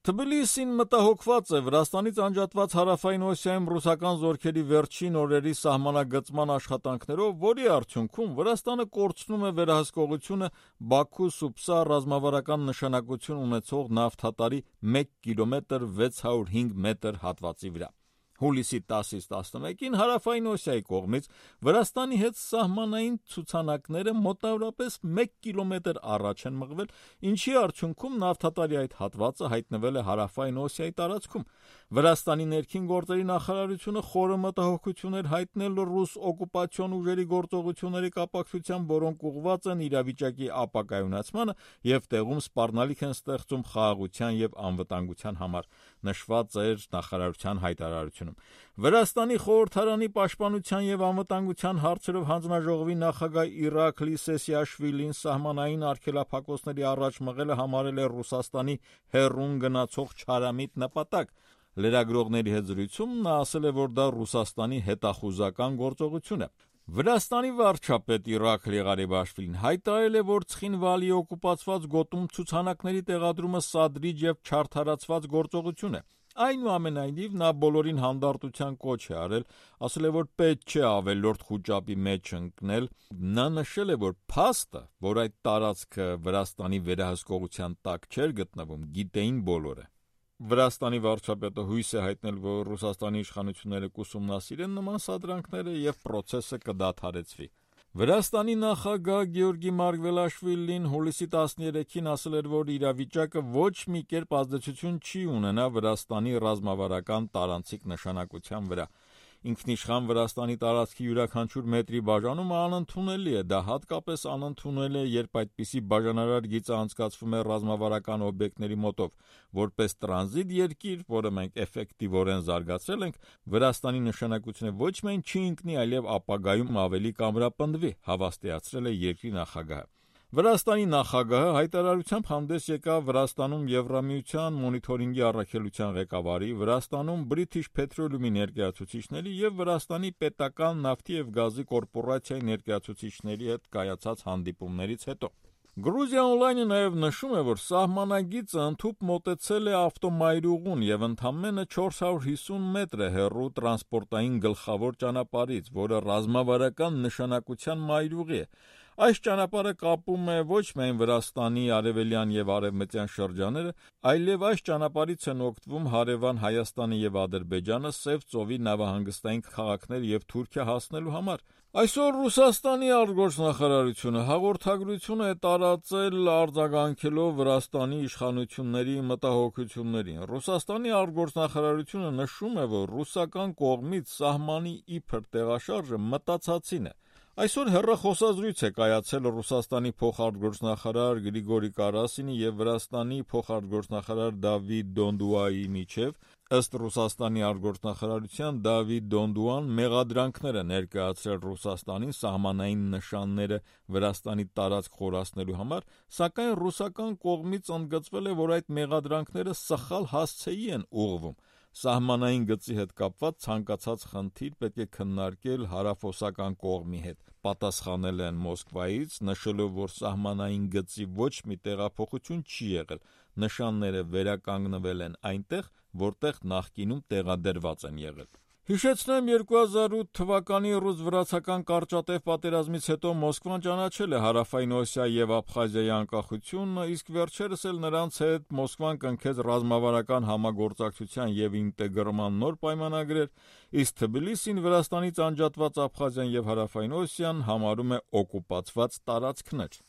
Թբիլիսին մտահոգված է Վրաստանից անջատված Հարավային Օսիայում ռուսական զորքերի վերջին օրերի սահմանագծման աշխատանքներով, որի արդյունքում Վրաստանը կորցնում է վերահսկողությունը Բաքու-Սուպսա ռազմավարական նշանակություն ունեցող նավթատարի 1 կիլոմետր 605 մետր հատվածի վրա։ Հուլիսի 10-ից 11-ին Հարավային Օսիայի կողմից Վրաստանի հետ սահմանային ցուցանակները մոտավորապես 1 կիլոմետր առաջ են մղվել, ինչի արդյունքում նավթատարի այդ հատվածը հայտնվել է Հարավային Օսիայի տարածքում։ Վրաստանի ներքին գործերի նախարարությունը խորը մտահոգություն էր հայտնել ռուս օկուպացիոն ուժերի գործողությունների կապակցությամբ, որոնք ուղղված են իրավիճակի ապակայունացմանը եւ տեղում սպառնալիք են ստեղծում խաղաղության եւ անվտանգության համար, նշված էր նախարարության հայտարարությունում։ Վրաստանի խորհրդարանի պաշտպանության եւ անվտանգության հարցերով հանձնաժողովի նախագահ Իրաքլի Սեսիաշվիլին սահմանային արգելափակոցների առաջ մղելը համարել է Ռուսաստանի հեռուն գնացող չարամիտ նպատակ։ Լրագրողների հետ զրույցում նա ասել է, որ դա Ռուսաստանի հետախուզական գործողություն է։ Վրաստանի վարչապետ Իրաքլի Ղարիբաշվիլին հայտարարել է, որ Ცხինվալի օկուպացված գոտում ցուցանակների տեղադրումը սադրիչ եւ չարդարացված գործողություն է։ Այնուամենայնիվ նա բոլորին հանդարտության կոչ է արել, ասել է, որ պետք չէ ավելորդ խուճապի մեջ ընկնել։ Նա նշել է, որ փաստը, որ այդ տարածքը Վրաստանի վերահսկողության տակ չէր գտնվում, գիտեին բոլորը։ Վրաստանի վարչապետը հույս է հայտնել, որ Ռուսաստանի իշխանությունները կուսումնասիրեն նման սադրանքները եւ պրոցեսը կդադարեցվի։ Վրաստանի նախագահ Գեորգի Մարգվելաշվիլին հուլիսի 13-ին ասել էր, որ իրավիճակը ոչ մի կերպ ազդեցություն չի ունենա Վրաստանի ռազմավարական տարանցիկ նշանակության վրա։ Ինքնիշխան Վրաստանի տարածքի յուրաքանչյուր մետրի բաժանումը անընդունելի է, դա հատկապես անընդունել է, երբ այդպիսի բաժանարար գիծը անցկացվում է ռազմավարական օբյեկտների մոտով, որպես տրանզիտ երկիր, որը մենք էֆեկտիվորեն զարգացրել ենք, Վրաստանի նշանակությունը ոչ միայն չի ընկնի, այլև ապագայում ավելի կամրապնդվի, հավաստիացրել է երկրի նախագահը։ Վրաստանի նախագահը հայտարարությամբ հանդես եկավ Վրաստանում Եվրամիության մոնիթորինգի առաքելության ղեկավարի, Վրաստանում British Petroleum-ի ներկայացուցիչների եւ Վրաստանի պետական նավթի եւ գազի կորպորացիայի ներկայացուցիչների հետ կայացած հանդիպումներից հետո։ Грузия Online-ը նաև նշում է, որ սահմանագիծը ընդհուպ մոտեցել է ավտոմայրուղուն եւ ընդամենը 450 մետր է հեռու տրանսպորտային գլխավոր ճանապարհից, որը ռազմավարական նշանակության մայրուղի է։ Այս ճանապարհը կապում է ոչ միայն Վրաստանի արևելյան եւ արևմտյան շրջանները, այլև այս ճանապարհից են օգտվում հարևան Հայաստանը եւ Ադրբեջանը Սև ծովի նավահանգստային քաղաքներ եւ Թուրքիա հասնելու համար։ Այսօր Ռուսաստանի արտգործնախարարությունը հաղորդագրություն է տարածել արձագանքելով Վրաստանի իշխանությունների մտահոգություններին։ Ռուսաստանի արտգործնախարարությունը նշում է, որ ռուսական կողմից սահմանի իբր տեղաշարժը մտածածին է։ Այսօր հեռախոսազրույց է կայացել Ռուսաստանի փոխարտգործնախարար Գրիգորի Կարասինի եւ Վրաստանի փոխարտգործնախարար Դավիթ Դոնդուայի միջև։ Ըստ Ռուսաստանի արտգործնախարարության Դավիթ Դոնդուան մեղադրանքներ է ներկայացրել Ռուսաստանին սահմանային նշանները Վրաստանի տարածք խորացնելու համար, սակայն ռուսական կողմից ընդգծվել է, որ այդ մեղադրանքները սխալ հասցեի են ուղղվում։ Սահմանային գծի հետ կապված ցանկացած խնդիր պետք է քննարկել հարավօսական կողմի հետ, պատասխանել են Մոսկվայից, նշելով, որ սահմանային գծի ոչ մի տեղափոխություն չի եղել, նշանները վերականգնվել են այնտեղ, որտեղ նախկինում տեղադրված են եղել։ Հիշեցնեմ 2008 թվականի ռուս-վրացական կարճատև պատերազմից հետո Մոսկվան ճանաչել է Հարավային Օսիայի եւ Աբխազիայի անկախությունը, իսկ վերջերս էլ նրանց հետ Մոսկվան կնքեց ռազմավարական համագործակցության եւ ինտեգրման նոր պայմանագրեր, իսկ Թբիլիսին Վրաստանից անջատված Աբխազիան եւ Հարավային Օսիան համարում է օկուպացված տարածքներ։